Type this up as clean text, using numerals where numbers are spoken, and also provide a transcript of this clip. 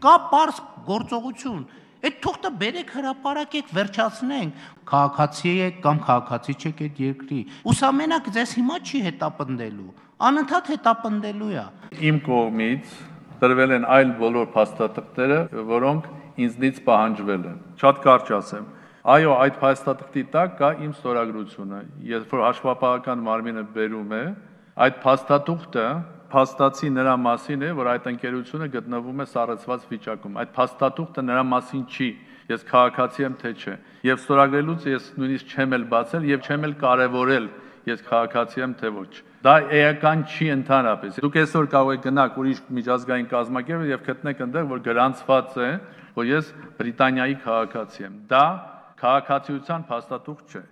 Կա պարզ գործողություն, այդ թուղթը բերեք հրապարակեք, վերջացնենք, քաղաքացի եք կամ քաղաքացի չեք այդ երկրի, ուսամենակ ձեզ հիմա չի հետապնդելու, անընդհատ հետապնդելու է։ Իմ կողմից տրվել են այլ բոլոր փաստաթղթերը, որոնք ինձնից պահանջվել են։ Շատ կարճ ասեմ։ Այո, այդ փաստաթղթի տակ կա իմ ստորագրությունը։ Երբ որ հաշվապահական մարմինը բերում է, այդ փաստաթուղթը փաստացի նրա մասին է, որ այդ ընկերությունը գտնվում է սառեցված վիճակում։ Այդ փաստաթուղթը նրա մասին չի, ես քաղաքացի եմ թե չէ։ Եվ ստորագրելուց ես նույնիսկ չեմ էլ բացել եւ չեմ էլ կարեւորել, ես քաղաքացի եմ թե ոչ։ Դա էական չի ընդհանրապես։ Դուք այսօր կարող եք գնալ ուրիշ միջազգային կազմակերպ եւ գտնեք այնտեղ, որ գրանցված է, որ ես Բրիտանիայի քաղաքացի եմ։ Դա քաղաքացիության փաստաթուղթ չէ։